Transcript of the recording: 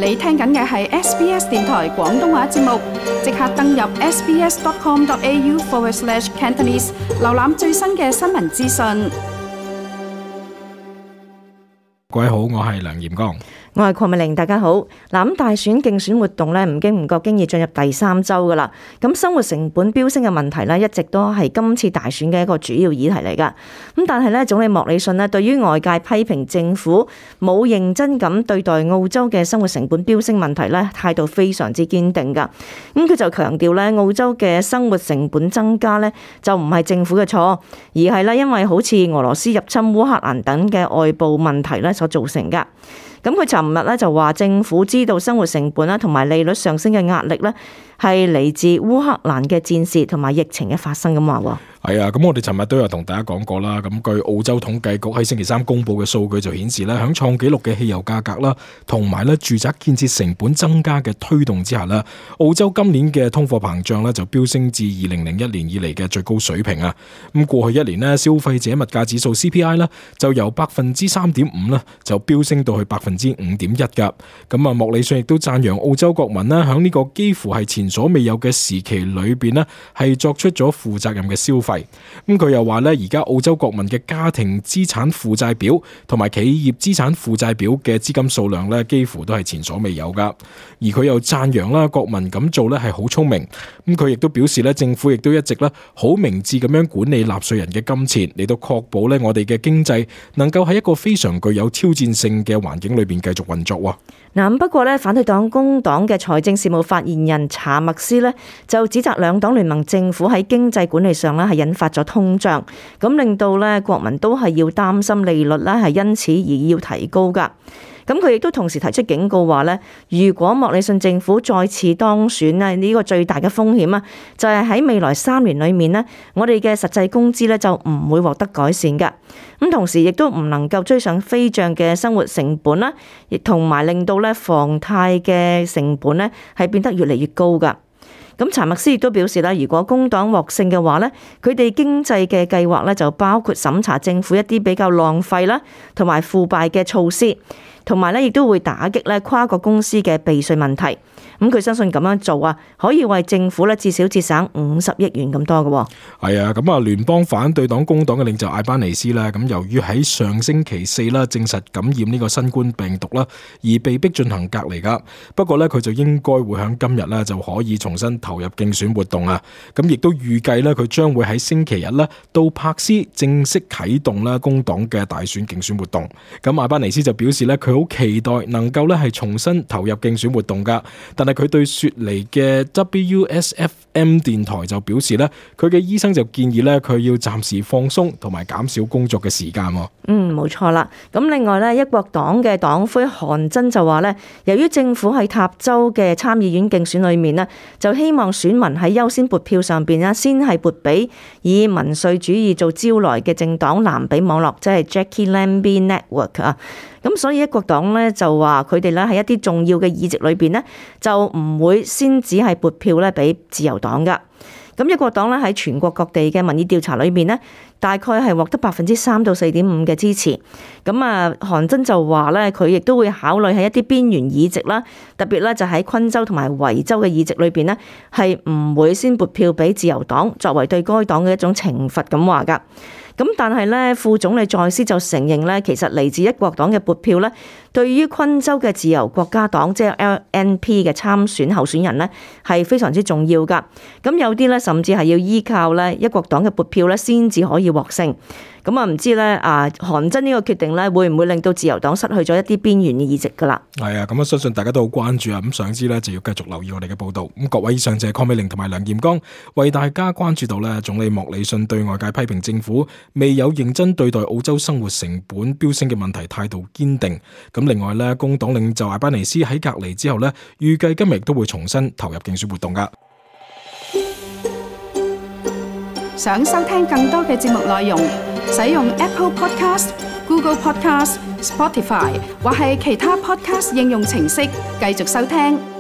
你聽緊嘅係 SBS 電台廣東話節目，即刻登入 sbs.com.au/Cantonese 瀏覽最新嘅新聞資訊。各位好，我係梁炎剛。我係鄺美玲，大家好。咁大選競選活動咧，唔經唔覺經已進入第3週噶啦。咁生活成本飆升嘅問題咧，一直都係今次大選嘅一個主要議題嚟噶。咁但係咧，總理莫里遜咧，對於外界批評政府冇認真咁對待澳洲嘅生活成本飆升問題咧，態度非常之堅定噶。咁佢就強調咧，澳洲嘅生活成本增加咧，就唔係政府嘅錯，而係咧因為好似俄羅斯入侵烏克蘭等嘅外部問題咧所造成噶。咁佢尋日咧就話政府知道生活成本啦同埋利率上升嘅壓力咧係嚟自烏克蘭嘅戰事同埋疫情嘅發生咁話喎。係啊，咁我哋尋日都有同大家講過啦。咁據澳洲統計局喺星期3公布嘅數據就顯示咧，響創紀錄嘅汽油價格啦，同埋咧住宅建設成本增加嘅推動之下咧，澳洲今年嘅通貨膨脹咧就飆升至2001年以嚟嘅最高水平啊。咁過去一年咧，消費者物價指數 CPI 咧就由 3.5% 咧就飆升到去 5.1% 噶。咁啊，莫里遜亦都讚揚澳洲國民咧響呢個幾乎係前所未有嘅時期裏邊咧係作出咗負責任嘅消費。咁佢又話咧，而家澳洲國民嘅家庭資產負債表同埋企業資產負債表嘅資金數量咧，幾乎都係前所未有噶。而佢又讚揚啦，國民咁做咧係好聰明。咁佢亦都表示咧，政府亦都一直咧好明智咁樣管理納稅人嘅金錢，嚟到確保咧我哋嘅經濟能夠喺一個非常具有挑戰性嘅環境裏邊繼續運作。嗱，不過咧，反對黨工黨嘅財政事務發言人查默斯咧就指責兩黨聯盟政府喺經濟管理上咧係引發咗通脹，咁令到咧國民都係要擔心利率咧係因此而要提高噶。咁佢亦都同時提出警告話咧，如果莫里遜政府再次當選咧，呢個最大嘅風險啊，就係喺未來3年裏面咧，我哋嘅實際工資咧就唔會獲得改善噶。咁同時亦都唔能夠追上飛漲嘅生活成本啦，亦同埋令到咧房貸嘅成本咧係變得越嚟越高噶。咁查默斯亦都表示啦，如果工黨獲勝嘅話咧，佢哋經濟嘅計劃咧就包括審查政府一啲比較浪費啦同埋腐敗嘅措施，同埋咧亦都會打擊咧跨國公司嘅避稅問題。咁佢相信咁樣做啊，可以為政府咧至少節省50億元咁多嘅。係啊，咁啊，聯邦反對黨工黨嘅領袖艾班尼斯啦，咁由於喺上星期4啦證實感染呢個新冠病毒啦，而被逼進行隔離噶。不過咧，佢就應該會喺今日咧就可以重新投入競選活動啊。咁亦都預計咧，佢將會喺星期日咧到柏斯正式啟動啦工黨嘅大選競選活動。咁艾班尼斯就表示咧，佢好期待能夠咧係重新投入競選活動噶，但係佢對雪梨嘅 WSFM 電台就表示咧，佢嘅醫生就建議咧，佢要暫時放鬆同埋減少工作嘅時間。冇錯啦。咁另外咧，一國黨嘅黨魁韓真就話咧，由於政府喺塔州嘅參議院競選裏面呢，就希望選民喺優先撥票上邊呢，先係撥俾以民粹主義做招來嘅政黨藍比網絡，即係 Jackie Lambie Network 啊。咁所以一國黨咧就話佢哋咧喺一啲重要嘅議席裏邊呢，就唔會先只係撥票咧俾自由黨噶。咁一國黨咧喺全國各地嘅民意調查裏面呢，大概係獲得3%到4.5%嘅支持。咁啊，韓真就話咧，佢亦都會考慮喺一啲邊緣議席啦，特別咧就喺昆州同埋維州嘅議席裏邊呢，係唔會先撥票俾自由黨，作為對該黨嘅一種懲罰咁話噶。咁但係咧，副總理在斯就承認咧，其實嚟自一國黨嘅撥票咧，對於昆州嘅自由國家黨即係 LNP 嘅參選候選人咧，係非常之重要噶。咁有啲咧，甚至係要依靠咧一國黨嘅撥票咧，先至可以獲勝。咁啊，唔知咧韓真呢個決定咧，會唔會令到自由黨失去咗一啲邊緣嘅議席噶啦？係啊，咁我相信大家都好關注啊。咁想知咧，就要繼續留意我哋嘅報道。咁各位，以上就係鄺美玲同埋梁炎剛為大家關注到咧，總理莫里遜對外界批評政府未有認真對待澳洲生活成本飆升嘅問題態度堅定。咁另外咧，工黨領袖艾班尼斯喺隔離之後咧，預計今日都會重新投入競選活動噶。想收聽更多嘅節目內容，使用 Apple Podcast、Google Podcast、Spotify 或係其他 Podcast 應用程式繼續收聽。